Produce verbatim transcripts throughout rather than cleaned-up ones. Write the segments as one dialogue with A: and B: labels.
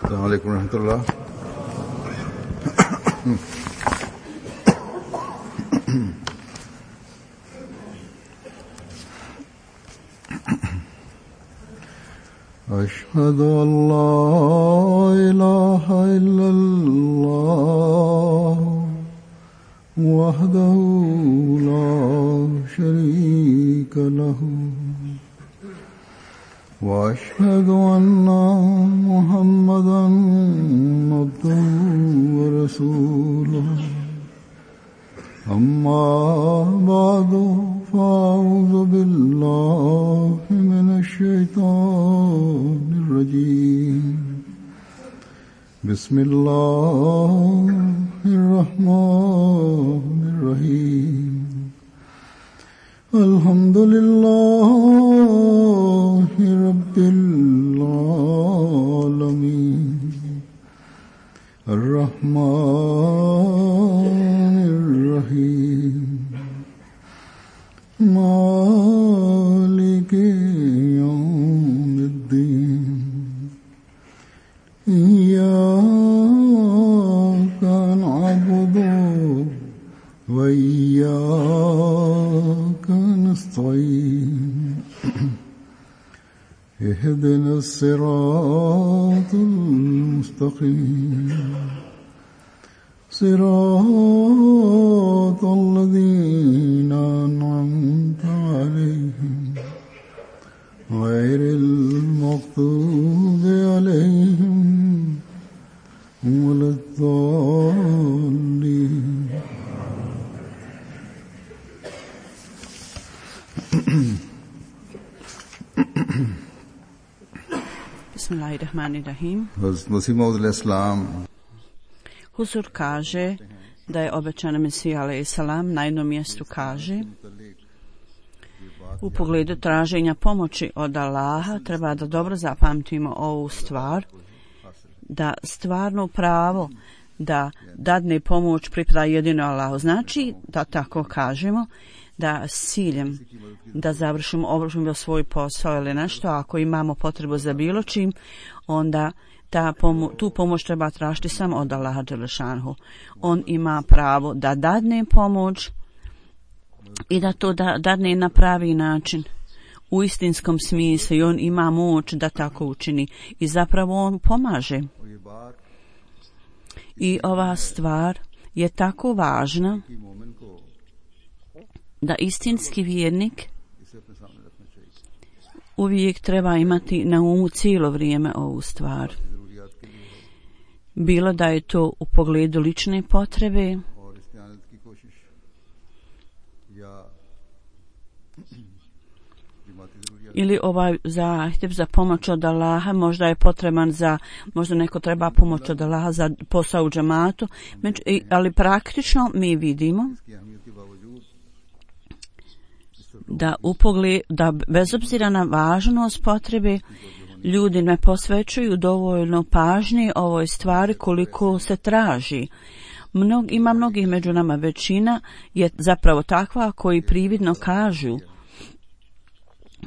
A: السلام عليكم ورحمة الله. أشهد أن لا إله إلا الله وحده لا شريك له وأشهد أن محمدًا عبده ورسوله أما بعد فأعوذ بالله من الشيطان الرجيم بسم الله الرحمن الرحيم الحمد لله رب العالمين الرحمن الرحيم مالك يوم الدين إياك نعبد وإياك نستعين اهدنا الصراط المستقيم صراط الذين أنعمت عليهم غير المغضوب عليهم ولا الضالين.
B: Bismillahirrahmanirrahim.
A: Hazrat Maud al-Islam
B: Huzur kaže da je obećan Mesija alejhi selam na jednom mjestu kaže u pogledu traženja pomoći od Allaha treba da dobro zapamtimo ovu stvar, da stvarno pravo da dadne pomoć pripada jedino Allahu. Znači da tako kažemo da s ciljem da završimo obavimo svoj posao ili nešto, ako imamo potrebu za bilo čim, onda ta pomo- tu pomoć treba tražiti samo od Allaha dželešanhu. On ima pravo da dadne pomoć i da to da, dadne na pravi način, u istinskom smislu, i on ima moć da tako učini i zapravo on pomaže. I ova stvar je tako važna da istinski vjernik uvijek treba imati na umu cijelo vrijeme ovu stvar. Bilo da je to u pogledu lične potrebe ili ovaj zahtjev za pomoć od Allaha, možda je potreban za, možda neko treba pomoć od Allaha za posao u džematu, ali praktično mi vidimo da u pogledu, da bez obzira na važnost potrebe, ljudi ne posvećuju dovoljno pažnje ovoj stvari koliko se traži. Mnog, ima mnogih među nama, većina je zapravo takva koji prividno kažu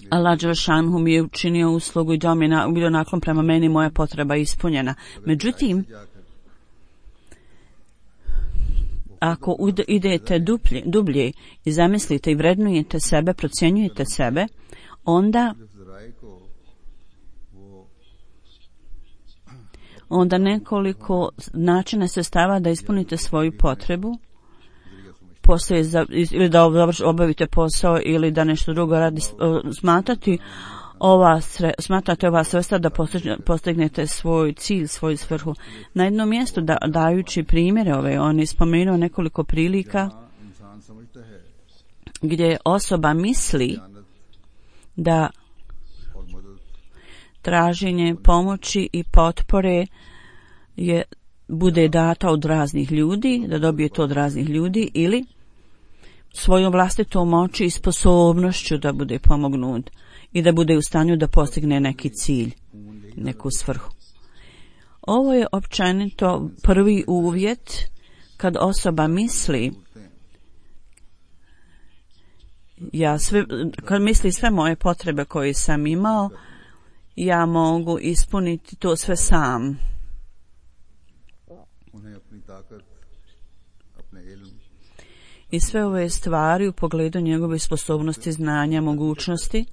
B: Allah dželešanhu mi je učinio uslugu i dao mi je bio naklon prema meni, moja potreba ispunjena. Međutim, ako idete dublje, dublje i zamislite i vrednujete sebe, procjenjujete sebe, onda onda nekoliko načina se stava da ispunite svoju potrebu, poslije za, ili da obavite posao ili da nešto drugo radi, smatrati ova sre, smatrate ova sredstva da postignete svoj cilj, svoju svrhu. Na jednom mjestu da, dajući primjere ove, on je spomenuo nekoliko prilika gdje osoba misli da traženje pomoći i potpore je bude data od raznih ljudi, da dobije to od raznih ljudi, ili svojom vlastitom moći i sposobnošću da bude pomognut i da bude u stanju da postigne neki cilj, neku svrhu. Ovo je općenito prvi uvjet kad osoba misli ja sve, kad misli sve moje potrebe koje sam imao, ja mogu ispuniti to sve sam.
A: ताकत अपने इल्म
B: i sve ove stvari u pogledu njegove sposobnosti, znanja, mogućnosti,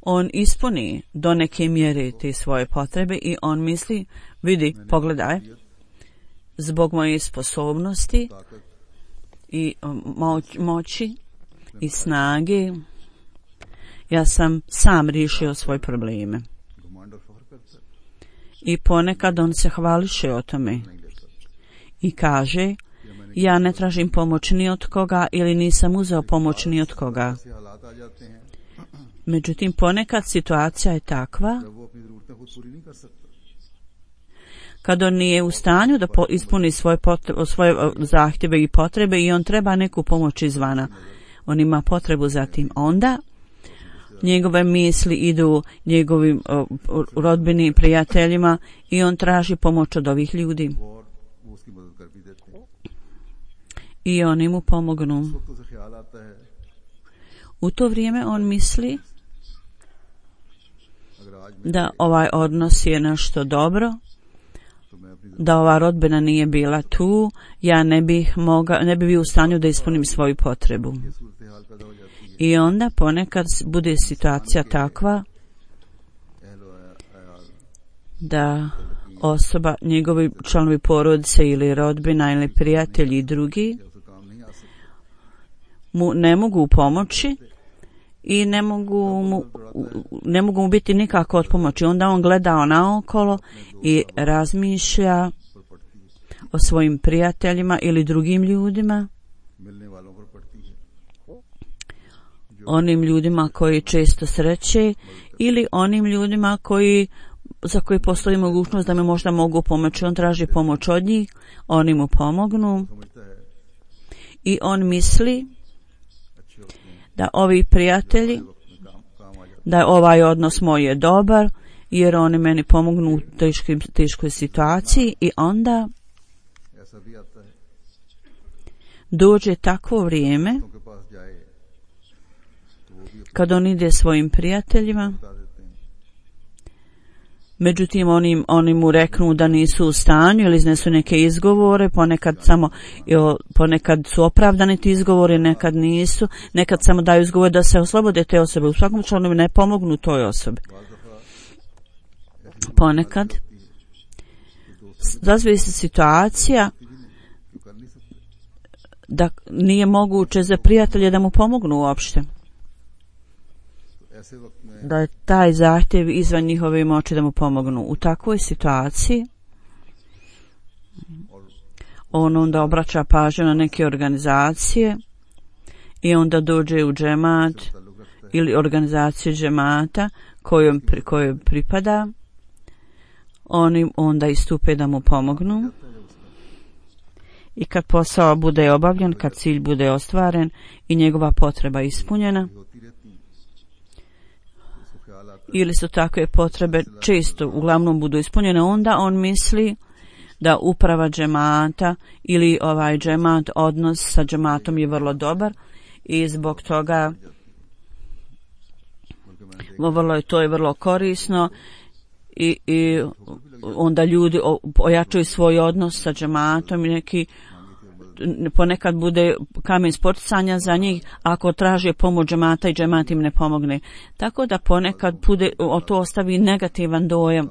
B: on ispuni do neke mjere te svoje potrebe i on misli, vidi, pogledaj, zbog moje sposobnosti i moć, moći i snage, ja sam sam riješio svoje probleme. I ponekad on se hvališe o tome i kaže, ja ne tražim pomoć ni od koga ili nisam uzeo pomoć ni od koga. Međutim, ponekad situacija je takva kad on nije u stanju da ispuni svoje, potrebe, svoje zahtjeve i potrebe i on treba neku pomoć izvana. On ima potrebu za tim. Onda njegove misli idu njegovim rodbini i prijateljima i on traži pomoć od ovih ljudi. I oni mu pomognu. U to vrijeme on misli da ovaj odnos je nešto dobro, da ova rodbina nije bila tu, ja ne bih moga, ne bi bio u stanju da ispunim svoju potrebu. I onda ponekad bude situacija takva da osoba, njegovi članovi porodice ili rodbina ili prijatelji i drugi mu ne mogu pomoći i ne mogu mu, ne mogu mu biti nikako od pomoći. Onda on gleda naokolo i razmišlja o svojim prijateljima ili drugim ljudima, onim ljudima koji često sreće ili onim ljudima koji, za koji postoji mogućnost da mi možda mogu pomoći. On traži pomoć od njih, oni mu pomognu i on misli da ovi prijatelji, da ovaj odnos moj je dobar jer oni meni pomognu u teškoj, teškoj situaciji i onda dođe takvo vrijeme kad on ide svojim prijateljima, međutim oni, oni mu reknu da nisu u stanju ili iznesu neke izgovore, ponekad samo jo, ponekad su opravdani ti izgovori, nekad nisu, nekad samo daju izgovore da se oslobode te osobe, u svakom slučaju ne pomognu toj osobi. Ponekad razvije se situacija da nije moguće za prijatelje da mu pomognu uopšte, da je taj zahtjev izvan njihove moći da mu pomognu. U takvoj situaciji on onda obraća pažnju na neke organizacije i onda dođe u džemat ili organizaciju džemata kojom, kojoj pripada. Oni onda istupe da mu pomognu i kad posao bude obavljen, kad cilj bude ostvaren i njegova potreba ispunjena, ili su takve potrebe često uglavnom budu ispunjene, onda on misli da uprava džemata ili ovaj džemat, odnos sa džematom je vrlo dobar i zbog toga vrlo je, to je vrlo korisno i, i onda ljudi ojačaju svoj odnos sa džematom i neki ponekad bude kamen spoticanja za njih ako traže pomoć džemata i džemat im ne pomogne. Tako da ponekad bude, to ostavi negativan dojam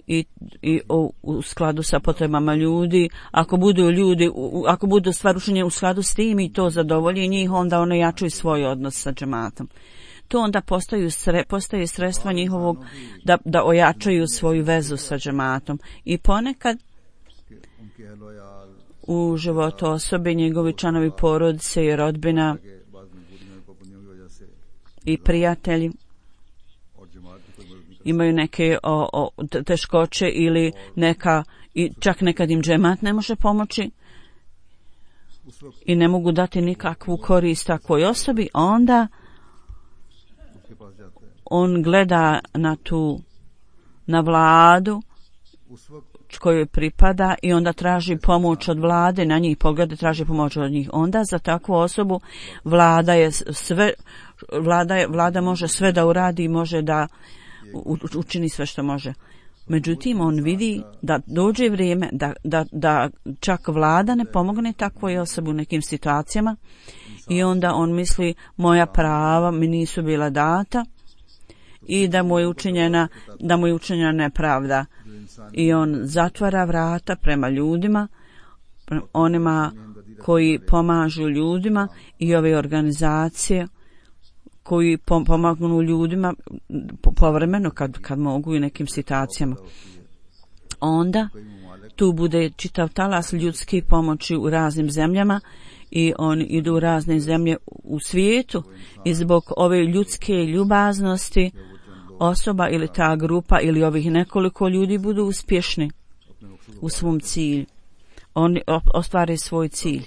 B: i, i u, u skladu sa potrebama ljudi. Ako budu ljudi, ako budu stvar učinjene u skladu s tim i to zadovolji njih, onda one jačaju svoj odnos sa džematom. To onda postaju sre, postaje sredstva njihovog da, da ojačaju svoju vezu sa džematom. I ponekad u životu osobe, njegovi članovi porodice i rodbina i prijatelji imaju neke o, o, teškoće ili neka, i čak nekad im džemat ne može pomoći i ne mogu dati nikakvu korist takvoj osobi, onda on gleda na tu, na vladu kojoj pripada i onda traži pomoć od vlade, na njih pogleda, traži pomoć od njih. Onda za takvu osobu vlada je sve, vlada, je, vlada može sve da uradi, može da učini sve što može. Međutim, on vidi da dođe vrijeme da, da, da čak vlada ne pomogne takvoj osobi u nekim situacijama i onda on misli moja prava mi nisu bila data i da mu je učinjena, da mu je učinjena nepravda. I on zatvara vrata prema ljudima, onima koji pomažu ljudima i ove organizacije koji pomagnu ljudima povremeno kad, kad mogu i nekim situacijama. Onda tu bude čitav talas ljudske pomoći u raznim zemljama i oni idu u razne zemlje u svijetu i zbog ove ljudske ljubaznosti osoba ili ta grupa ili ovih nekoliko ljudi budu uspješni u svom cilju. Oni ostvare svoj cilj.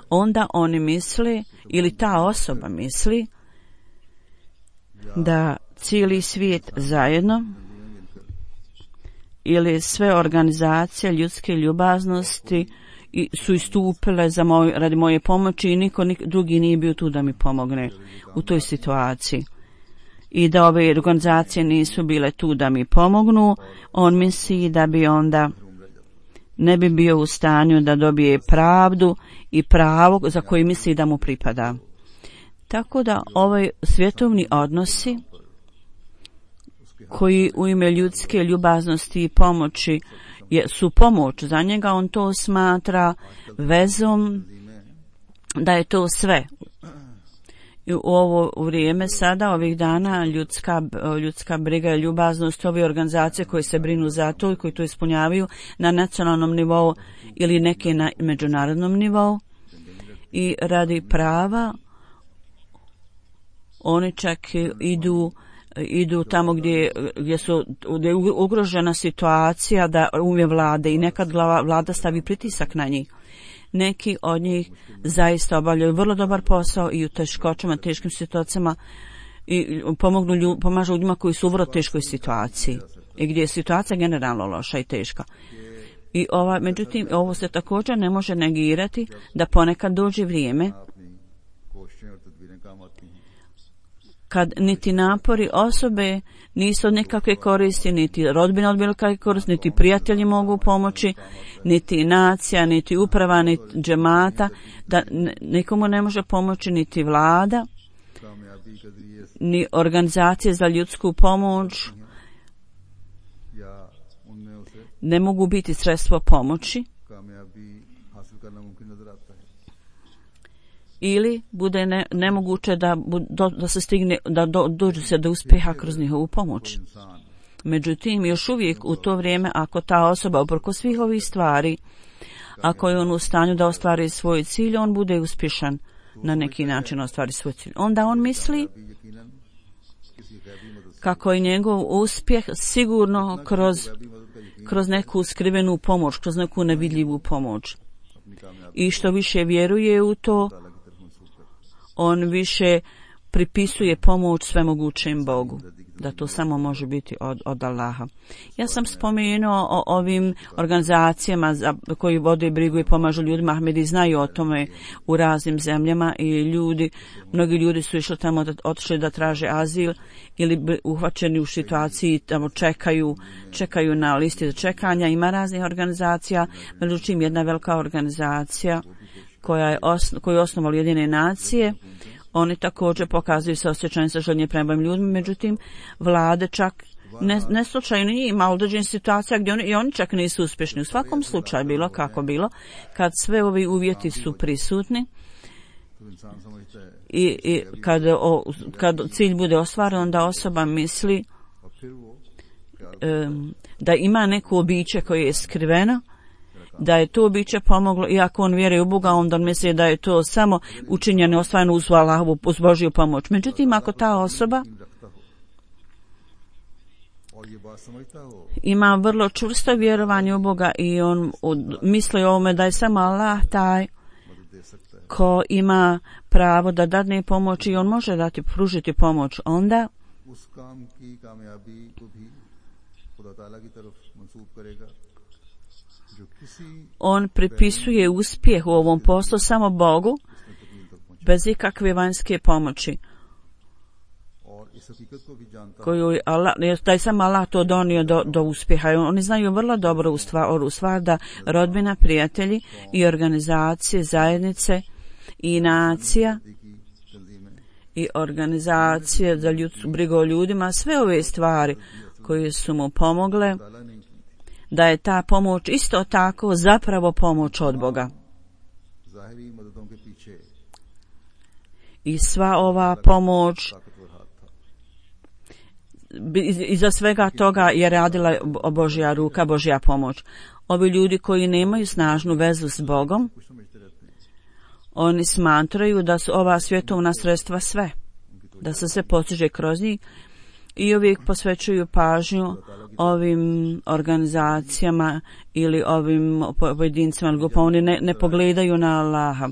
B: Onda oni misle ili ta osoba misli da cijeli svijet zajedno ili sve organizacije ljudske ljubaznosti su istupile za moj, radi moje pomoći i niko nik, drugi nije bio tu da mi pomogne u toj situaciji. I da ove organizacije nisu bile tu da mi pomognu, on misli da bi onda ne bi bio u stanju da dobije pravdu i pravo za koje misli da mu pripada. Tako da ovaj svjetovni odnosi koji u ime ljudske ljubaznosti i pomoći je, su pomoć za njega, on to smatra vezom, da je to sve. I u ovo vrijeme sada, ovih dana, ljudska, ljudska briga i ljubaznost, ove organizacije koje se brinu za to i koji to ispunjavaju na nacionalnom nivou ili neke na međunarodnom nivou i radi prava, oni čak idu idu tamo gdje, gdje, su, gdje je ugrožena situacija da umje vlade i nekad vlada stavi pritisak na njih. Neki od njih zaista obavljaju vrlo dobar posao i u teškoćama, teškim situacijama i pomognu ljud, pomažu ljudima koji su u vrlo teškoj situaciji i gdje je situacija generalno loša i teška. I ova, međutim, ovo se također ne može negirati da ponekad dođe vrijeme kad niti napori osobe nisu od nikakve koristi, niti rodbina od bilo kakve koristi, niti prijatelji mogu pomoći, niti nacija, niti uprava, niti džemata, da nikomu ne može pomoći niti vlada, ni organizacije za ljudsku pomoć ne mogu biti sredstvo pomoći. Ili bude ne, nemoguće da, do, da se stigne, da do, dođu se do uspjeha kroz njihovu pomoć. Međutim, još uvijek u to vrijeme, ako ta osoba uprkos svih ovih stvari, ako je on u stanju da ostvari svoj cilj, on bude uspješan na neki način ostvari svoj cilj. Onda on misli kako je njegov uspjeh sigurno kroz, kroz neku skrivenu pomoć, kroz neku nevidljivu pomoć. I što više vjeruje u to, on više pripisuje pomoć svemogućem Bogu, da to samo može biti od, od Allaha. Ja sam spomenuo o ovim organizacijama za, koji vode brigu i pomažu ljudima. Ahmedi znaju o tome u raznim zemljama i ljudi, mnogi ljudi su išli tamo, da, otišli da traže azil ili uhvaćeni u situaciji, tamo čekaju, čekaju na listi za čekanja. Ima raznih organizacija, međutim jedna velika organizacija koja je osno, koju je osnovali Ujedinjene nacije, oni također pokazuju se osjećanje sa željenje prema ljudima, međutim vlade čak ne, ne slučaju nije ima određenih situacija gdje oni, i oni čak nisu uspješni. U svakom slučaju bilo kako bilo, kad sve ovi uvjeti su prisutni i, i kad, o, kad cilj bude ostvaren, onda osoba misli um, da ima neko običaj koje je skriveno, da je to biće pomoglo, i ako on vjeruje u Boga, onda on misli da je to samo učinjeno ostvareno uz Allahovu, uz Božju pomoć. Međutim, ako ta osoba ima vrlo čvrsto vjerovanje u Boga i on misli o ovome da je samo Allah taj ko ima pravo da dadne pomoć i on može dati, pružiti pomoć, onda on pripisuje uspjeh u ovom poslu samo Bogu bez ikakve vanjske pomoći. koju Allah, da je sam Allah to donio do, do uspjeha. Oni znaju vrlo dobro u stvar, u stvar da rodbina, prijatelji i organizacije, zajednice i nacija i organizacije za ljudsku brigu o ljudima, sve ove stvari koje su mu pomogle, da je ta pomoć isto tako zapravo pomoć od Boga. I sva ova pomoć iza svega toga je radila Božja ruka, Božja pomoć. Ovi ljudi koji nemaju snažnu vezu s Bogom, oni smatraju da su ova svjetovna sredstva sve, da se se postiže kroz njih i uvijek posvećuju pažnju ovim organizacijama ili ovim pojedincima, pa oni ne, ne pogledaju na Allaha.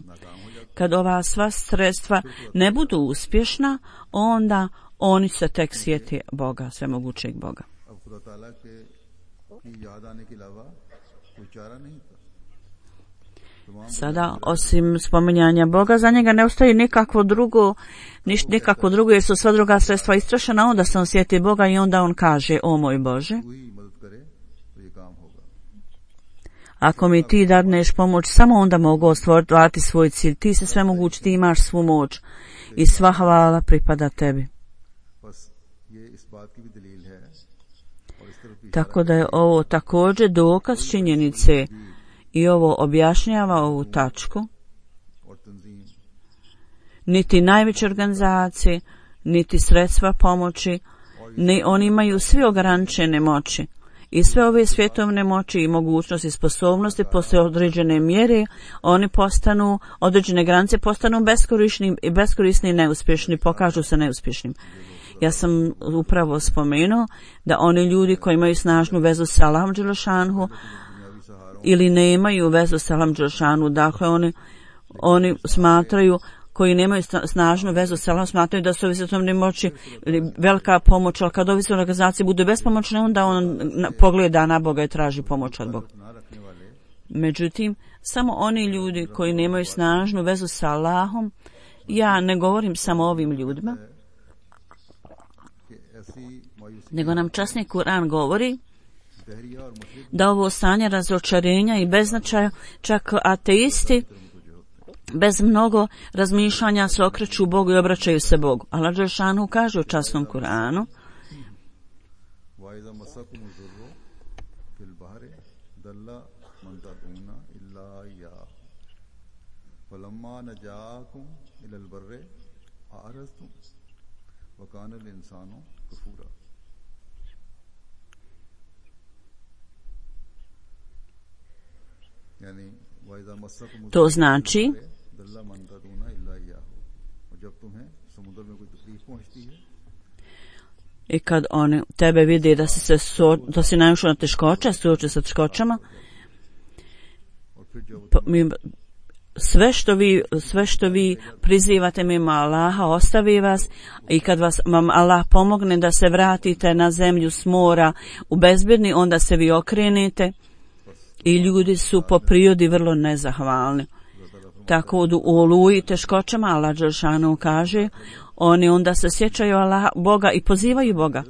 B: Kad ova sva sredstva ne budu uspješna, onda oni se tek sjeti Boga, svemogućeg Boga. Sada, osim spominjanja Boga, za njega ne ostaje nikakvo drugo, niš, nikakvo drugo, jer su sva druga sredstva istrošena, onda se on sjeti Boga i onda on kaže: o moj Bože, ako mi ti dadneš pomoć, samo onda mogu ostvariti svoj cilj. Ti se sve mogući, ti imaš svu moć i sva hvala pripada tebi. Tako da je ovo također dokaz činjenice i ovo objašnjava ovu tačku. Niti najveće organizacije, niti sredstva pomoći, ni oni imaju svi ograničene moći. I sve ove svjetovne moći i mogućnosti i sposobnosti poslije određene mjere, oni postanu, određene granice postanu beskorisni i beskorisni i neuspješni, pokažu se neuspješnim. Ja sam upravo spomenuo da oni ljudi koji imaju snažnu vezu sa Allahom dželešanhu ili nemaju vezu sa Allahom dželešanhu, dakle oni, oni smatraju, koji nemaju snažnu vezu sa Allahom, smatraju da su ovi svjetovne moći ili velika pomoć, ali kad ovi svjetovne organizacije budu bespomoćne, onda on pogleda na Boga i traži pomoć od Boga. Međutim, samo oni ljudi koji nemaju snažnu vezu sa Allahom, ja ne govorim samo o ovim ljudima, nego nam časni Kur'an govori da ovo stanje razočarenja i beznačaja, čak ateisti bez mnogo razmišljanja se okreću Bogu i obraćaju se Bogu. Allah dželešanu kaže u časnom Kur'anu: to znači i kad oni tebe vidi da si se so, da si naišao na teškoće, suoči sa teškoćama, mi, sve što vi sve što vi prizivate mimo Allaha ostavi vas, i kad vas vam Allah pomogne da se vratite na zemlju s mora u bezbjedni, onda se vi okrenete. I ljudi su po prirodi vrlo nezahvalni. Tako da u oluji teškoćama Allah dželešanu kaže, oni onda se sjećaju Allah, Boga i pozivaju Boga.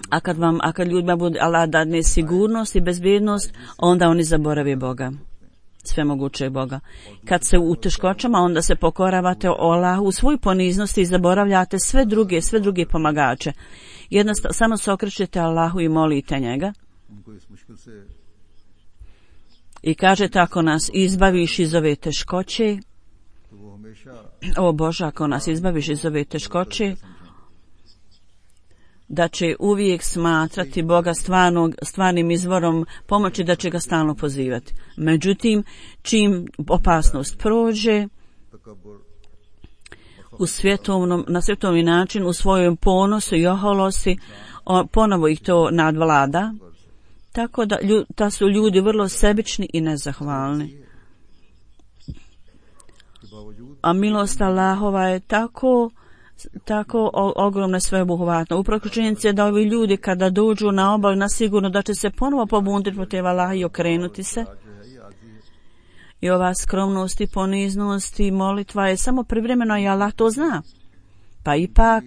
B: A kad vam, a kad ljudima bude Allah dadne sigurnost i bezbjednost, onda oni zaborave Boga, svemogućeg Boga. Kad se u teškoćama, onda se pokoravate o Allahu u svoj poniznosti i zaboravljate sve druge, sve druge pomagače. Jednostavno, samo se okrećete Allahu i molite njega. I kažete, ako nas izbaviš iz ove teškoće, o Bože, ako nas izbaviš iz ove teškoće, da će uvijek smatrati Boga stvarnog, stvarnim izvorom pomoći, da će ga stalno pozivati. Međutim, čim opasnost prođe, u svjetovnom, na svjetovni način, u svojom ponosu i oholosti, ponovo ih to nadvlada. Tako da, da su ljudi vrlo sebični i nezahvalni. A milost Allahova je tako, tako ogromna, sveobuhvatna. Upravo činjenica je da ovi ljudi kada dođu na obalu, na sigurno da će se ponovo pobuniti protiv Allaha i okrenuti se. I ova skromnost i poniznost i molitva je samo privremeno, i Allah to zna. Pa ipak,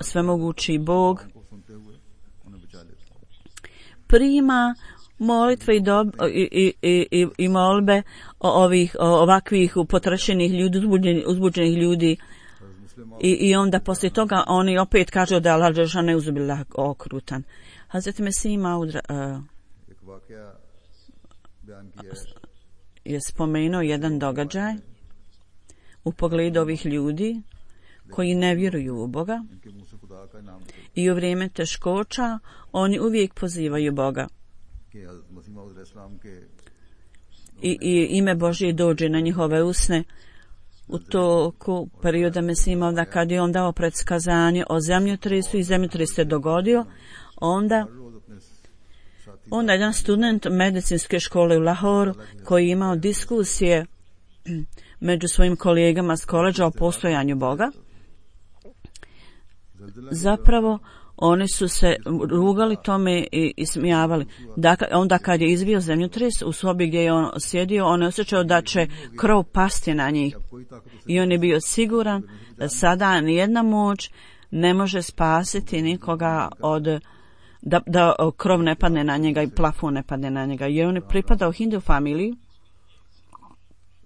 B: svemogući Bog
A: को सुनते हुए उन्हें बचा लेता है।
B: prima molitve i, dob, i, i, i, i molbe ovih ovakvih potrošenih ljudi, uzbuđenih, uzbuđenih ljudi i, i onda poslije toga oni opet kažu da Allah dželle ne uzubila okrutan. Hazreti Mesih Maud uh,
A: एक वाकया बयान किया है
B: je spomenuo jedan događaj u pogledu ovih ljudi koji ne vjeruju u Boga
A: इनके मुंह से खुदा का नाम निकलता
B: i u vrijeme teškoća oni uvijek pozivaju Boga
A: है कि हज़रत मसीह मौऊद अलैहिस्सलाम के
B: i, i ime Božje dođe na njihove usne u toku perioda Mesih Mauda kad je on dao predskazanje o zemljotresu i zemljotres se dogodio, onda
A: रोज अपने साथी
B: onda jedan student medicinske škole u Lahoru koji je imao diskusije među svojim kolegama s koleđa o postojanju Boga, zapravo oni su se rugali tome i, i smijavali. Dakle, onda kad je izbio zemljotres u sobi gdje je on sjedio, on je osjećao da će krov pasti na njih. I on je bio siguran da sada nijedna moć ne može spasiti nikoga od da, da krov ne padne na njega i plafon ne padne na njega. Jer on je pripadao hindu familiji.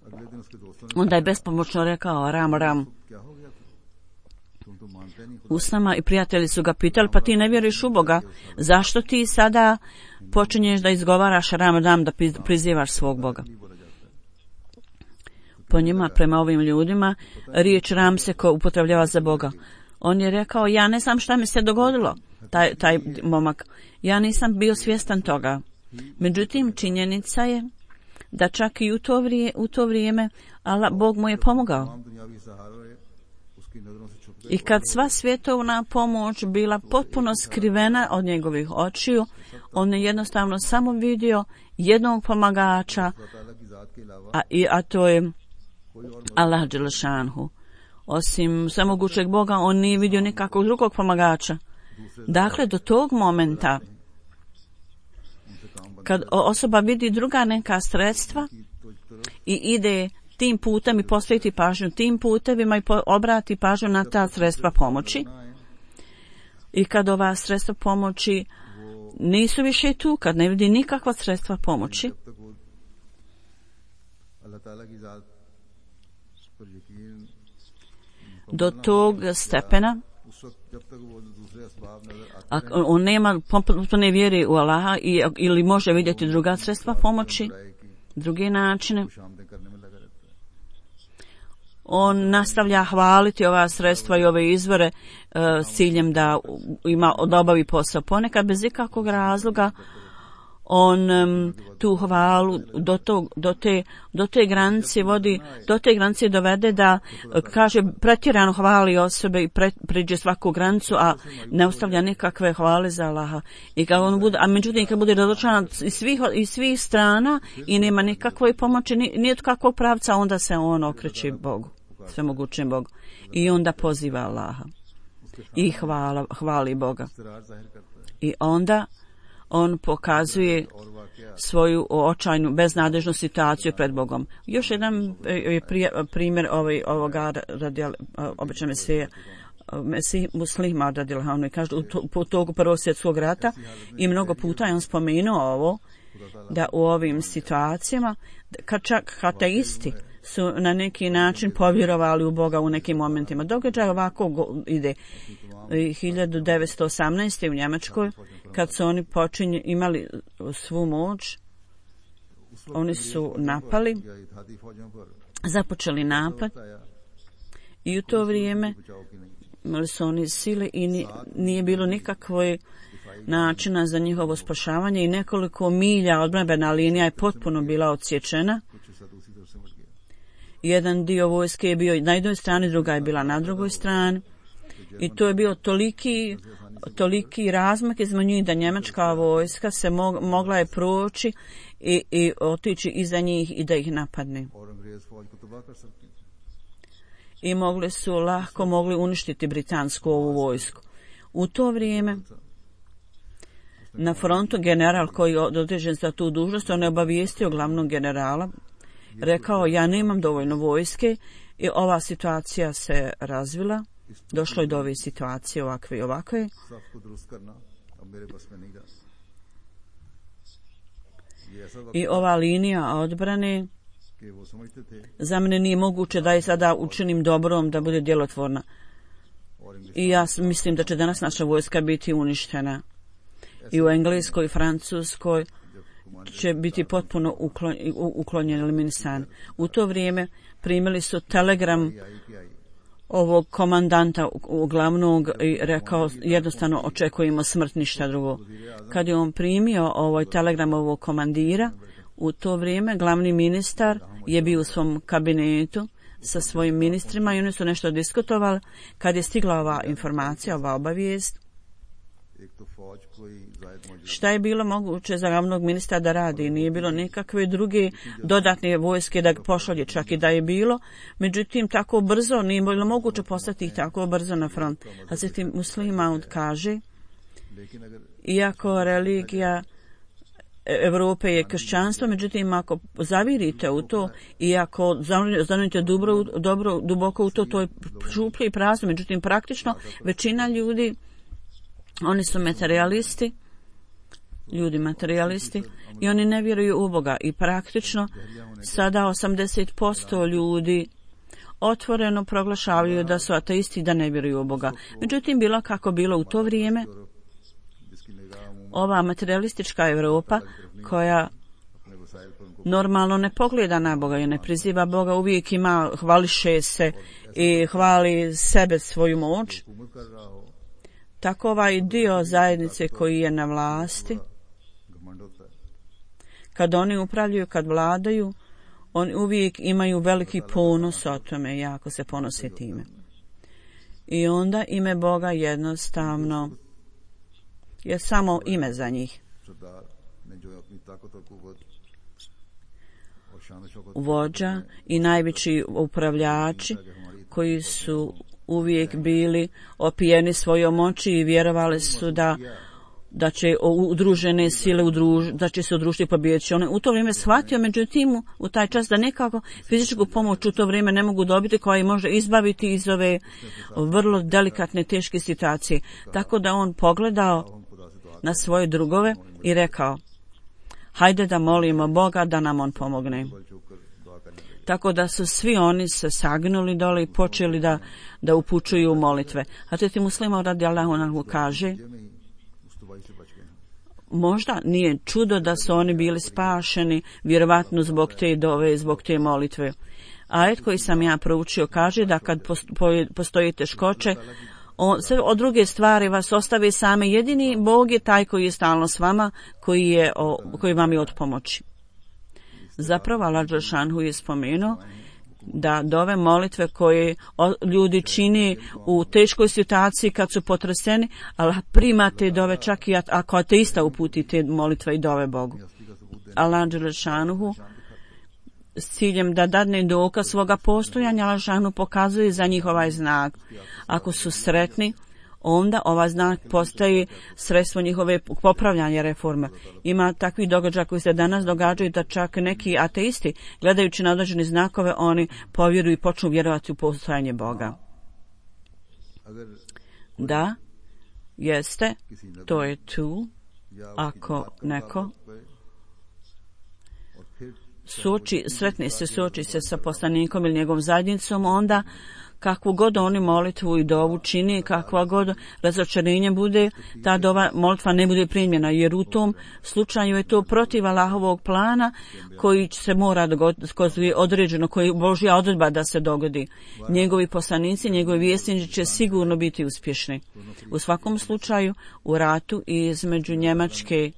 A: अगले दिन उसके दोस्तों ने
B: Onda je bespomoćno rekao ram ram
A: क्या हो गया तुम तो मानते नहीं खुदा
B: usnama i prijatelji su ga pitali pa ti ne vjeruješ u Boga, zašto ti sada počinješ da izgovaraš ram ram da prizivaš svog Boga?
A: नहीं बोला जाता है।
B: Po njima, prema ovim ljudima, riječ ram se ko upotrebljava za Boga. On je rekao, ja ne znam šta mi se dogodilo, taj, taj momak. Ja nisam bio svjestan toga. Međutim, činjenica je da čak i u to vrijeme, u to vrijeme Allah, Bog mu je pomogao.
A: तमाम दुनियावी सहारे उसकी नजरों से छुप गए
B: I kad sva svjetovna pomoć bila potpuno skrivena od njegovih očiju, on je jednostavno samo vidio jednog pomagača,
A: खुदा ताला की जात के अलावा
B: a, i, a to je
A: कोई और
B: Allah Đelešanhu. Osim samogućeg Boga, on nije vidio nikakvog drugog pomagača. Dakle, do tog momenta,
A: उनसे काम बंद
B: kad osoba vidi druga neka sredstva
A: की तो तरफ
B: i ide tim putem i posveti pažnju tim putevima i po, obrati pažnju na ta sredstva pomoći,
A: ना आए
B: i kad ova sredstva pomoći nisu više tu, kad ne vidi nikakva sredstva pomoći,
A: जब तक वो अल्लाह ताला की जात पर यकीन
B: do tog stepena,
A: उस वक्त जब तक वो दूसरे असबाब नजर आते
B: a on nema potpune vjere u Allaha i, ili može vidjeti druga sredstva pomoći,
A: हैं की
B: druge načine,
A: शामदें करने में लगा रहता है।
B: on nastavlja hvaliti ova sredstva i ove izvore uh, s ciljem da ima odobavi posao. Ponekad bez ikakvog razloga on um, tu hvalu do, to, do, te, do te granice vodi, do te granice dovede da uh, kaže pretjerano hvali osobe i pre, priđe svaku granicu, a ne ostavlja nikakve hvale za Allaha. I kad on bude, a međutim kad bude razočaran iz svih, iz svih strana i nema nikakve pomoći, ni, nije kakvog pravca, onda se on okreće Bogu, svemogućem Bogu. I onda poziva Allaha i hvala, hvali Boga.
A: इस्तरार जाहिर करता है
B: I onda on pokazuje
A: और वाकया
B: svoju očajnu beznadežnu situaciju pred Bogom. Još jedan je primjer ovaj, ovoga radi obične Mesije, Mesih muslima radijallahu anhu, i kaže u to, po togu Prvog svjetskog rata i mnogo puta je on spomenuo ovo, da u ovim situacijama, kad čak ateisti su na neki način povjerovali u Boga u nekim momentima. Događaj ovako go, ide. hiljadu devetsto osamnaeste. u Njemačkoj, kad su oni počinje, imali svu moć, oni su napali,
A: या इत्तेहादी फौजों पर
B: započeli napad
A: आया
B: i u to vrijeme
A: बचाव की नहीं
B: imali su oni sile i ni, nije bilo nikakvoj načina za njihovo spašavanje i nekoliko milja odbrambena linija je potpuno bila odsječena.
A: कुछ हिस्सा दूसरी तरफ से मट गया।
B: Jedan dio vojske je bio na jednoj strani, druga je bila na drugoj strani. I to je bio toliki, toliki razmak između njih da njemačka vojska se mog, mogla je proći i, i otići iza njih i da ih napadne.
A: और अंग्रेज फौज को तबाह कर सकती थी।
B: I mogli su lahko mogli uništiti britansku ovu vojsku. U to vrijeme na frontu general koji je određen za tu dužnost, on je obavijestio glavnog generala, rekao ja nemam dovoljno vojske i ova situacija se razvila. došlo je do ove situacije ovakve i ovakve. I ova linija odbrane za mene nije moguće da je sada učinim dobrom, da bude djelotvorna. I ja mislim da će danas naša vojska biti uništena. I u Engleskoj i Francuskoj će biti potpuno uklon, uklonjen, eliminisan. U to vrijeme primili su telegram ovog komandanta glavnog i rekao jednostavno očekujemo smrt, ništa drugo. Kad je on primio ovaj telegram ovog komandira, u to vrijeme glavni ministar je bio u svom kabinetu sa svojim ministrima i oni su nešto diskutovali. Kad je stigla ova informacija, ova obavijest, šta je bilo moguće za glavnog ministra da radi? Nije bilo nikakve druge dodatne vojske da pošalje, čak i da je bilo. Međutim, tako brzo, nije bilo moguće poslati ih tako brzo na front. Hazret Muslih Maud kaže, iako religija Evrope je kršćanstvo, međutim, ako zavirite u to i ako zanujete dobro, dobro, duboko u to, to je šuplje i prazno. Međutim, praktično, većina ljudi, oni su materialisti, ljudi materialisti i oni ne vjeruju u Boga. I praktično, sada osamdeset posto ljudi otvoreno proglašavaju da su ateisti, da ne vjeruju u Boga. Međutim, bilo kako bilo u to vrijeme, ova materialistička Evropa koja normalno ne pogleda na Boga i ne priziva Boga, uvijek ima, hvališe se i hvali sebe, svoju moć. Tako ovaj dio zajednice koji je na vlasti, kad oni upravljaju, kad vladaju, oni uvijek imaju veliki ponos o tome, jako se ponose time. I onda ime Boga jednostavno je samo ime za njih. Vođa i najveći upravljači koji su uvijek bili opijeni svojom moći i vjerovali su da da će udružene sile udruž, da će se udružiti i pobijediti. On u to vrijeme shvatio, međutim, u taj čas da nekako fizičku pomoć u to vrijeme ne mogu dobiti koja ih može izbaviti iz ove vrlo delikatne, teške situacije. Tako da on pogledao na svoje drugove i rekao, hajde da molimo Boga da nam on pomogne. Tako da su svi oni se sagnuli dole i počeli da, da upućuju molitve. Hazret Muslih Maud radijallahu anhu kaže, možda nije čudo da su oni bili spašeni, vjerovatno zbog te dove, zbog te molitve. Ajet koji sam ja proučio kaže da kad postoji teškoće, on, sve od druge stvari vas ostave same. Jedini Bog je taj koji je stalno s vama, koji, je, o, koji vam je od pomoći. Zapravo Allah Đelešanu je spomenuo da dove molitve koje ljudi čini u teškoj situaciji kad su potreseni, Allah prima te dove čak i ako ateista uputi te molitve i dove Bogu. Allah Đelešanu s ciljem da dadne dokaz svoga postojanja, Allah Đelešanu pokazuje za njih ovaj znak. Ako su sretni, onda ovaj znak postaje sredstvo njihove popravljanja reforme. Ima takvih događaja koji se danas događaju da čak neki ateisti, gledajući na određene znakove, oni povjeruju i počnu vjerovati u postojanje Boga. Da, jeste, to je tu. Ako neko suoči, sretni se, suoči se sa poslanikom ili njegovom zajednicom, onda kakvu god oni molitvu i dovu čini, kakva god razočarenje bude, ta dova molitva ne bude primljena, jer u tom slučaju je to protiv Allahovog plana koji se mora dogoditi, koji je određeno, koji je Božja odredba da se dogodi. Njegovi poslanici, njegovi vjesnici će sigurno biti uspješni. U svakom slučaju, u ratu između Njemačke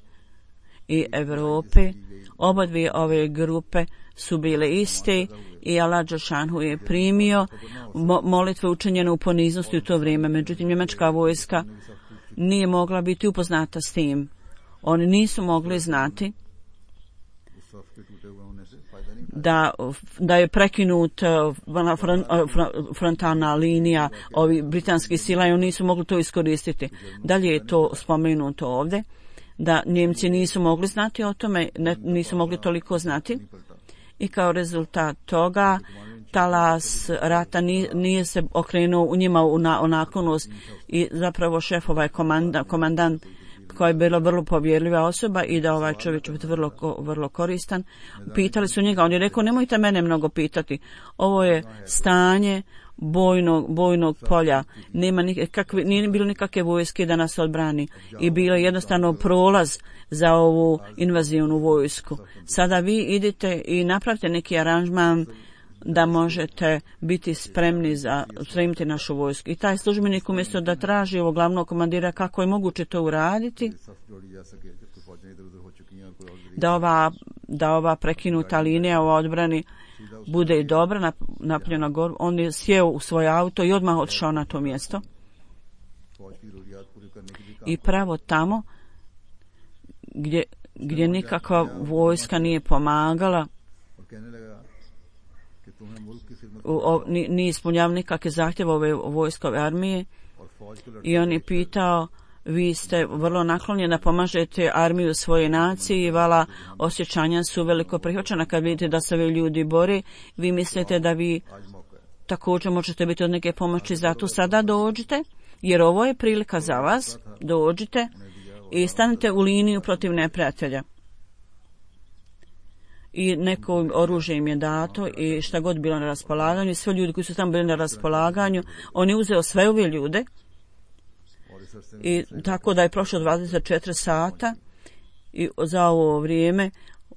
B: i Europe, oba dvije ove grupe su bile iste i Allah Đelešanu je primio mo- molitve učinjene u poniznosti u to vrijeme. Međutim, njemačka vojska nije mogla biti upoznata s tim. Oni nisu mogli znati da, da je prekinut frontalna linija ovih britanskih sila i oni nisu mogli to iskoristiti. Dalje je to spomenuto ovdje, da Njemci nisu mogli znati o tome, ne, nisu mogli toliko znati. I kao rezultat toga talas rata nije, nije se okrenuo u njima u, na, u naklonost i zapravo šef ovaj komanda, komandant koja je bila vrlo povjerljiva osoba i da ovaj čovjek će biti vrlo, vrlo koristan. Pitali su njega, on je rekao nemojte mene mnogo pitati, ovo je stanje bojnog, bojnog polja, nema nikakve, nije bilo nikakve vojske da nas odbrani i bilo je jednostavno prolaz za ovu invazivnu vojsku. Sada vi idite i napravite neki aranžman da možete biti spremni za spremiti našu vojsku. I taj službenik umjesto da traži ovog glavnog komandira kako je moguće to uraditi, da ova, da ova prekinuta linija u odbrani bude i dobra napljena gor, on je sjeo u svoj auto i odmah otišao na to mjesto. I pravo tamo gdje, gdje nikakva vojska nije pomagala, nije ispunjavao nikakve zahtjeve ove vojskove armije i on je pitao, vi ste vrlo naklonjeni da pomažete armiju svoje nacije i vala osjećanja su veliko prihvaćena kad vidite da se ovi ljudi bore, vi mislite da vi također možete biti od neke pomoći, zato sada dođite jer ovo je prilika za vas, dođite i stanite u liniju protiv neprijatelja. I neko oružje im je dato i šta god bilo na raspolaganju i sve ljudi koji su tamo bili na raspolaganju, on je uzeo sve ove ljude i tako da je prošlo dvadeset četiri sata i za ovo vrijeme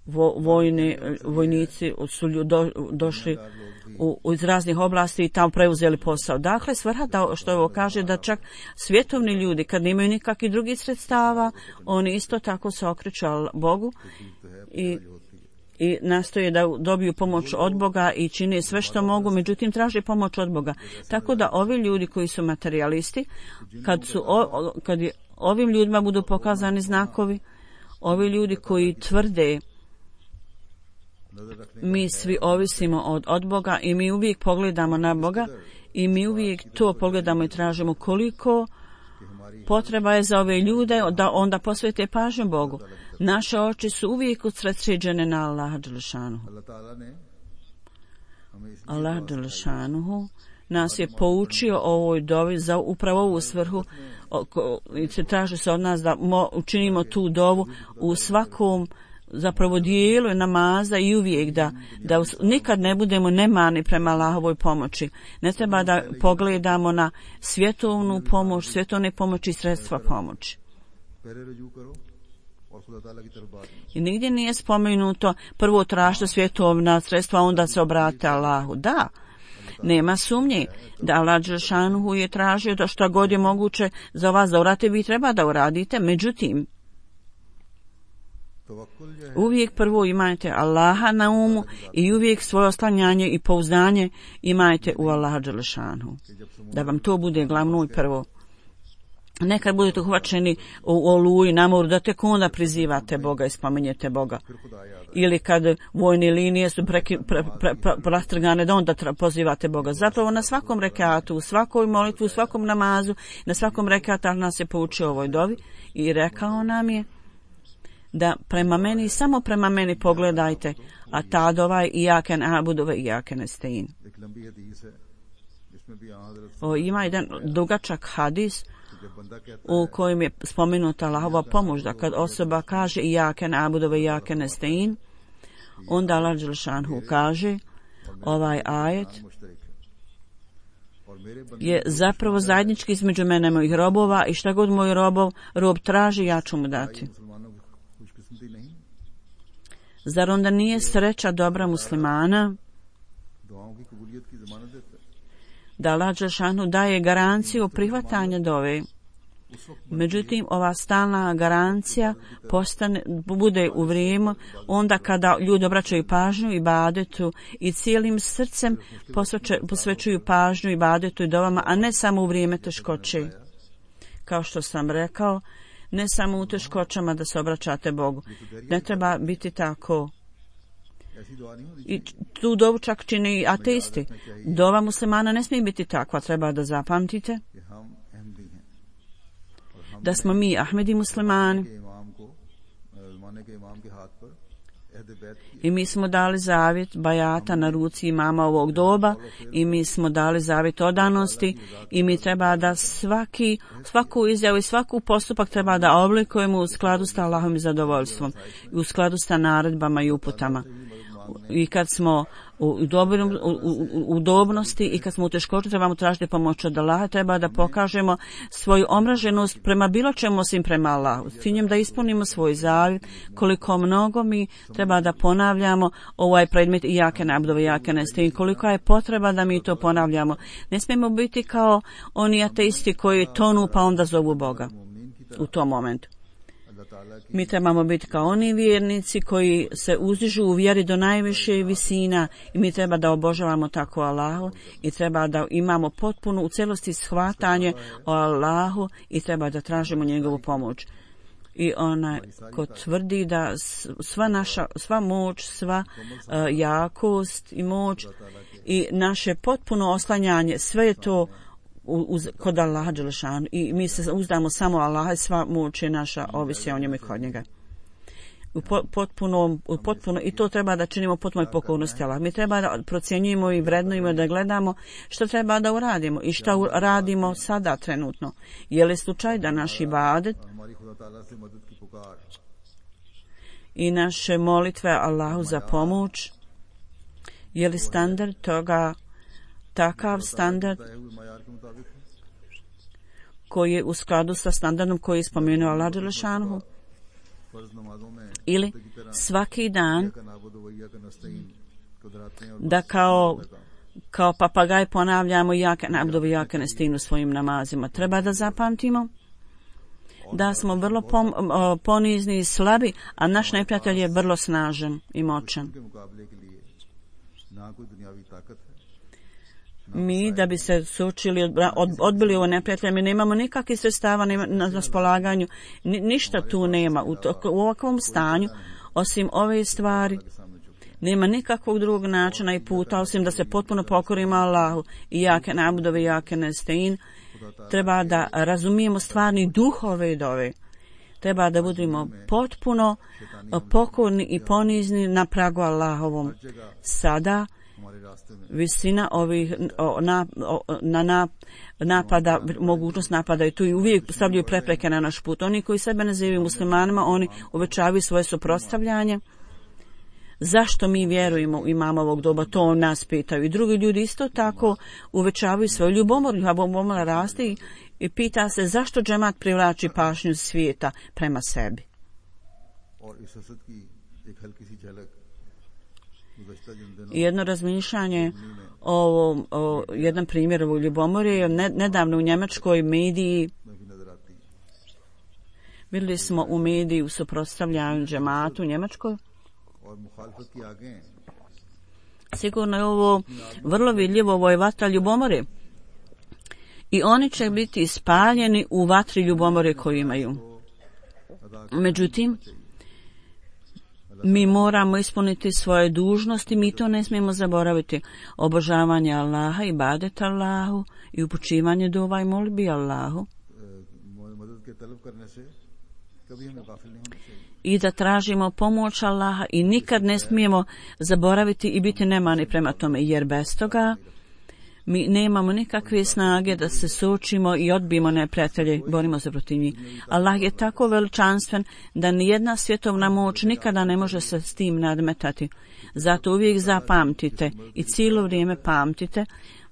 B: vo, vojni, vojnici su do, došli u, u iz raznih oblasti i tamo preuzeli posao. Dakle, svrha da, što ovo kaže da čak svjetovni ljudi kad nemaju nikakvih drugih sredstava, oni isto tako se okreću Bogu i i nastoje da dobiju pomoć od Boga i čine sve što mogu, međutim traže pomoć od Boga. Tako da ovi ljudi koji su materijalisti, kad, su o, kad je, ovim ljudima budu pokazani znakovi, ovi ljudi koji tvrde mi svi ovisimo od, od Boga i mi uvijek pogledamo na Boga i mi uvijek to pogledamo i tražimo koliko potreba je za ove ljude da onda posvete pažnju Bogu. Naše oči su uvijek usredsređene na Allaha dželešanuhu. Allah dželešanuhu nas je poučio o ovoj dovi za upravo ovu svrhu i se traži se od nas da mo, učinimo tu dovu u svakom zapravo dijelu namaza i uvijek da, da nikad ne budemo nemani prema Allahovoj pomoći. Ne treba da pogledamo na svjetovnu pomoć, svjetovne pomoći i sredstva pomoći. I nigdje nije spomenuto prvo tražite svjetovna sredstva, onda se obrate Allahu. Da, nema sumnje da Allah dželešanuhu je tražio da što god je moguće za vas da uradite, vi treba da uradite. Međutim, uvijek prvo imajte Allaha na umu i uvijek svoje oslanjanje i pouzdanje imajte u Allaha dželešanuhu. Da vam to bude glavno i prvo. Nekad budete uhvaćeni u oluji, na moru, da tek onda prizivate Boga i spominjete Boga. Ili kad vojne linije su preki, pre, pre, pre, rastrgane, da onda tra, pozivate Boga. Zapravo na svakom rekatu, u svakoj molitvu, u svakom namazu, na svakom rekatu nas je poučio ovoj dovi i rekao nam je da prema meni, samo prema meni pogledajte, a ta dova je ijaken abudove ijaken estein. O, ima jedan dugačak hadis u kojem je spomenuta Allahova pomoć, da kad osoba kaže ijaken abudove ijaken estein, onda Allah dželešanuhu kaže ovaj ajet je zapravo zajednički između mene i mojih robova i šta god moj robov rob traži, ja ću mu dati. Zar onda nije sreća dobra muslimana da Allah dželešanuhu daje garanciju prihvatanja dove? Međutim, ova stalna garancija postane, bude u vrijeme onda kada ljudi obraćaju pažnju ibadetu i cijelim srcem posveće, posvećuju pažnju ibadetu i dovama, a ne samo u vrijeme teškoće. Kao što sam rekao, ne samo u teškoćama da se obraćate Bogu. Ne treba biti tako. I tu dovu čak čini i ateisti. Dova muslimana ne smije biti takva, treba da zapamtite da smo mi Ahmedi muslimani I mi smo dali zavjet bajata na ruci imama ovog doba i mi smo dali zavjet odanosti i mi treba da svaki, svaku izjavu i svaku postupak treba da oblikujemo u skladu s Allahovim zadovoljstvom i u skladu sa naredbama i uputama. I kad smo u, dobrom, u, u, u udobnosti i kad smo u teškoći trebamo tražiti pomoć od Allaha, treba da pokažemo svoju omraženost prema bilo čemu osim prema Allahu. S ciljem da ispunimo svoj zavjet, koliko mnogo mi treba da ponavljamo ovaj predmet i jake nabdove, jake nestine, koliko je potreba da mi to ponavljamo. Ne smijemo biti kao oni ateisti koji tonu pa onda zovu Boga u tom momentu. Mi trebamo biti kao oni vjernici koji se uzdižu u vjeri do najviše visina i mi treba da obožavamo tako Allahu i treba da imamo potpuno u celosti shvatanje o Allahu i treba da tražimo njegovu pomoć. I onaj ko tvrdi da sva naša, sva moć, sva uh, jakost i moć i naše potpuno oslanjanje, sve je to Uz, kod Allaha Đelešanu i mi se uzdamo samo Allaha i sva moć je naša ovisi o njemu i kod njega. U potpuno, u potpuno, i to treba da činimo potpunoj pokornosti Allah. Mi treba da procjenjujemo i vrednujemo, da gledamo što treba da uradimo i što radimo sada trenutno. Je li slučaj da naš ibadet i naše molitve Allahu za pomoć, je li standard toga takav standard koji je u skladu sa standardom koji je spomenuo Allah Đelešanu, ili svaki dan da kao kao papagaj ponavljamo jake nabdovi, jake nestinu svojim namazima. Treba da zapamtimo da smo vrlo pom, ponizni i slabi, a naš neprijatelj je vrlo snažan i moćan. Mi, da bi se sučili, od, odbili ovo neprijatelje, mi nemamo nikakvih sredstava na raspolaganju, Ni, ništa tu nema. U, to, u ovakvom stanju, osim ove stvari, nema nikakvog drugog načina i puta, osim da se potpuno pokorimo Allahu i jake nabudove, jake nestein. Treba da razumijemo stvarni duh ove dove. Treba da budemo potpuno pokorni i ponizni na pragu Allahovom. Sada, visina ovih o, na, o, na, na napada, mogućnost napada i tu i uvijek stavljaju prepreke na naš put. Oni koji sebe nazivaju muslimanima, oni uvećavaju svoje suprotstavljanje. Zašto mi vjerujemo u imama ovog doba, to nas pitaju. I drugi ljudi isto tako uvećavaju svoju ljubomor, ljubomora raste i, i pita se zašto džemat privlači pažnju svijeta prema sebi. Jedno razmišljanje o, o jedan primjer u ljubomori je ne, nedavno u njemačkoj mediji. Vidjeli smo u mediji u suprotstavljanju džematu u Njemačkoj. Sigurno je ovo vrlo vidljivo, ovo je vatra ljubomore. I oni će biti ispaljeni u vatri ljubomore koju imaju. Međutim, mi moramo ispuniti svoje dužnosti, mi to ne smijemo zaboraviti. Obožavanje Allaha, ibadet Allahu i upućivanje dova i molbi Allahu. I da tražimo pomoć Allaha i nikad ne smijemo zaboraviti i biti nemani prema tome, jer bez toga mi nemamo nikakve snage da se suočimo i odbijemo neprijatelje, borimo se protiv njih. Allah je tako veličanstven da nijedna svjetovna moć nikada ne može se s tim nadmetati. Zato uvijek zapamtite i cijelo vrijeme pamtite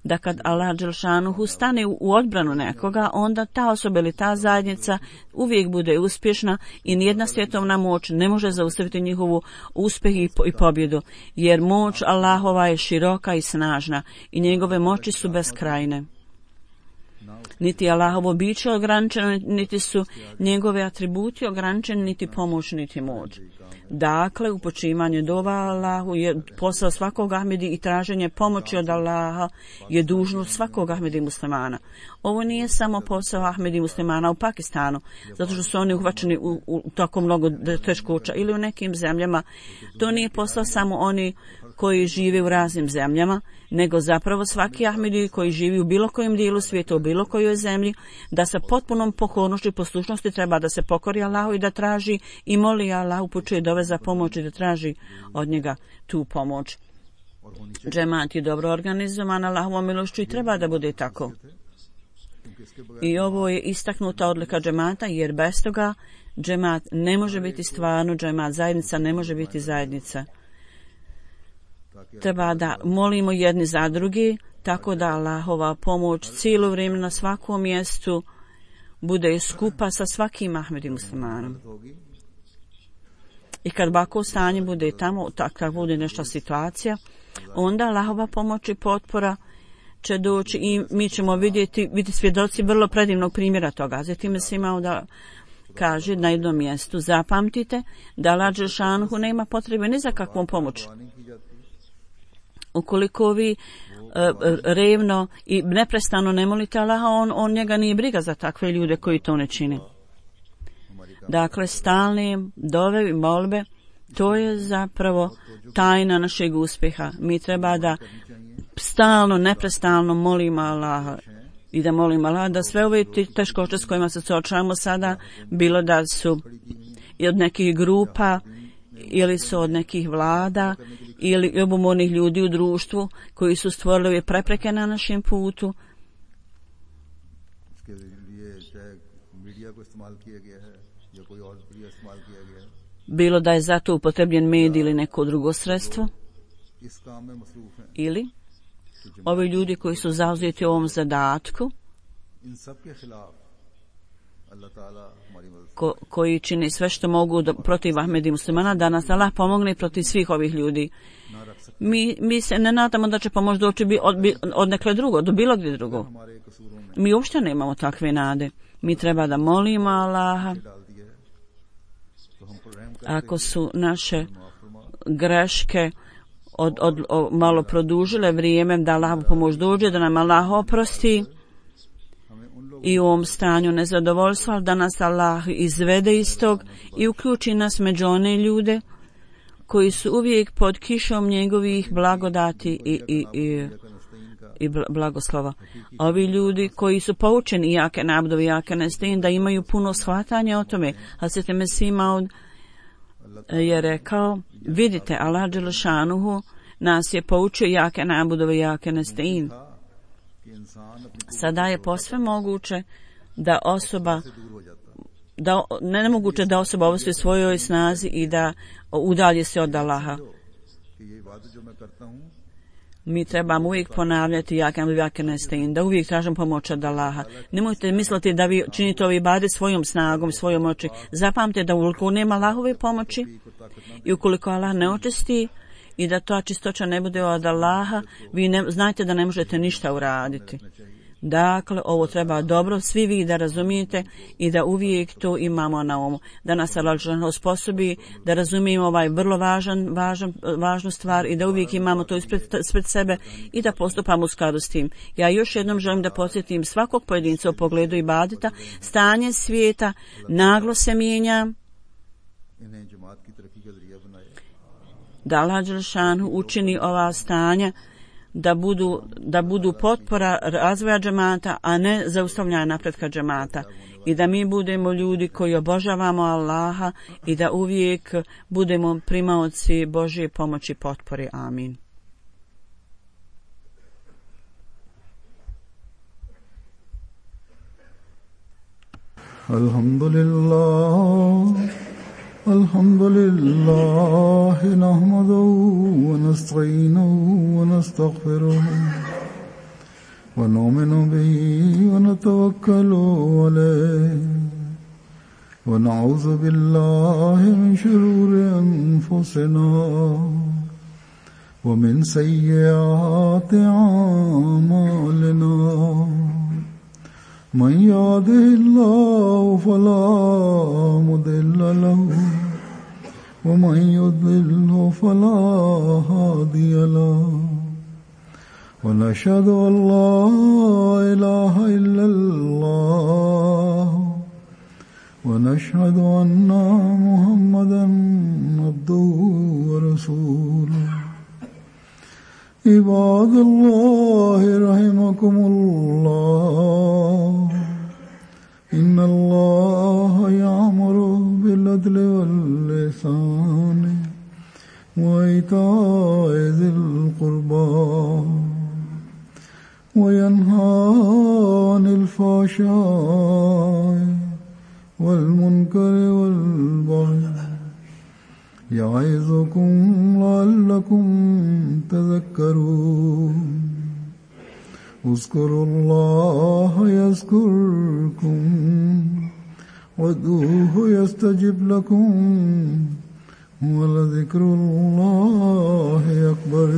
B: da kad Allah dželšanuhu stane u odbranu nekoga, onda ta osoba ili ta zajednica uvijek bude uspješna i nijedna svjetovna moć ne može zaustaviti njihovu uspjeh i pobjedu, jer moć Allahova je široka i snažna i njegove moći su beskrajne. Niti Allahovo biće ograničeno, niti su njegove atributi ograničeni, niti pomoć, niti moć. Dakle, upućivanje dova Allahu je posao svakog Ahmedi i traženje pomoći od Allaha je dužnost svakog Ahmedi muslimana. Ovo nije samo posao Ahmedi muslimana u Pakistanu, zato što su oni uhvaćeni u, u tako mnogo teškoća ili u nekim zemljama. To nije posao samo oni koji žive u raznim zemljama, nego zapravo svaki Ahmedi koji živi u bilo kojem dijelu svijeta, u bilo kojoj zemlji, da sa potpunom pokornošću i poslušnosti treba da se pokori Allahu i da traži i moli Allah, upućuje dove za pomoć i da traži od njega tu pomoć. Džemat je dobro organizovan Allahovom milošću i treba da bude tako. I ovo je istaknuta odlika džemata, jer bez toga džemat ne može biti stvarno džemat, zajednica ne može biti zajednica. Treba da molimo jedni za drugi, tako da Allahova pomoć cijelo vrijeme na svakom mjestu bude skupa sa svakim Ahmedi muslimanom. I kad ovako stanje bude tamo, takva bude nešto situacija, onda Allahova pomoć i potpora će doći i mi ćemo vidjeti, vidjeti svjedoci vrlo predivnog primjera toga. Zatim se imao da kaže na jednom mjestu, zapamtite da Allah dželešanohu nema potrebe ni za kakvom pomoć. Ukoliko vi e, revno i neprestano ne molite Allaha, on, on njega nije briga za takve ljude koji to ne čine. Dakle, stalne dove i molbe, to je zapravo tajna našeg uspjeha. Mi treba da stalno, neprestalno molimo Allaha i da molimo Allaha da sve ove teškoće s kojima se suočavamo sada, bilo da su i od nekih grupa ili su od nekih vlada ili ljubomornih ljudi u društvu koji su stvorili ove prepreke na našem putu, bilo da je zato upotrebljen medij ili neko drugo sredstvo, ili ovi ljudi koji su zauzeti u ovom zadatku, ko, koji čini sve što mogu do, protiv Ahmedi muslimana, da nas Allah pomogne protiv svih ovih ljudi. Mi, mi se ne nadamo da će pomoć doći od, od nekle drugo, do bilo gdje drugo. Mi uopšte nemamo takve nade. Mi treba da molimo Allaha. Ako su naše greške od, od, od, malo produžile vrijeme, da Allah pomoć dođe, da nam Allah oprosti i u ovom stanju nezadovoljstva, da nas Allah izvede iz tog i uključi nas među one ljude koji su uvijek pod kišom njegovih blagodati i, i, i, i blagoslova. Ovi ljudi koji su poučeni jake nabdovi, jake nestin, da imaju puno shvatanja o tome. Hazreti Mesih Maud je rekao, vidite, Allah dželešanuhu nas je poučio jake nabudove, jake nestin. Sada je posve moguće da osoba, da, ne nemoguće da osoba ovisi svojoj snazi i da udalji se od Allaha. Mi trebamo uvijek ponavljati jake nabudove, jake nestin, da uvijek tražimo pomoć od Allaha. Nemojte misliti da vi činite ove ibade svojom snagom, svojom moći. Zapamtite da ukoliko nema Allahove pomoći i ukoliko Allah ne očisti i da ta čistoća ne bude od Allaha, vi ne, znajte da ne možete ništa uraditi. Dakle, ovo treba dobro svi vi da razumijete i da uvijek to imamo na umu. Da nas Allah osposobi da razumijemo ovaj vrlo važan, važan, važnu stvar i da uvijek imamo to ispred, ispred sebe i da postupamo u skladu s tim. Ja još jednom želim da podsjetim svakog pojedinca u pogledu ibadeta. Stanje svijeta naglo se mijenja. Da Allah dželešanu učini ova stanja da budu, da budu potpora razvoja džemata, a ne zaustavljanja napretka džemata. I da mi budemo ljudi koji obožavamo Allaha i da uvijek budemo primaoci Božje pomoći i potpore. Amin.
A: Alhamdulillah. الحمد لله نحمده ونستعينه ونستغفره ونؤمن به ونتوكل عليه ونعوذ بالله من شرور أنفسنا ومن سيئات أعمالنا من يهده الله فلا مضل له ومن يضلل فلا هادي له ونشهد أن لا إله إلا الله ونشهد أن محمدا عبده ورسوله عباد الله رحمكم الله إن الله يأمر بالعدل والإحسان وإيتاء ذي القربى وينهى عن الفحشاء والمنكر والبغي يعظكم لعلكم تذكرون اذكروا الله يذكركم وادعوه يستجب لكم ولذكر الله أكبر.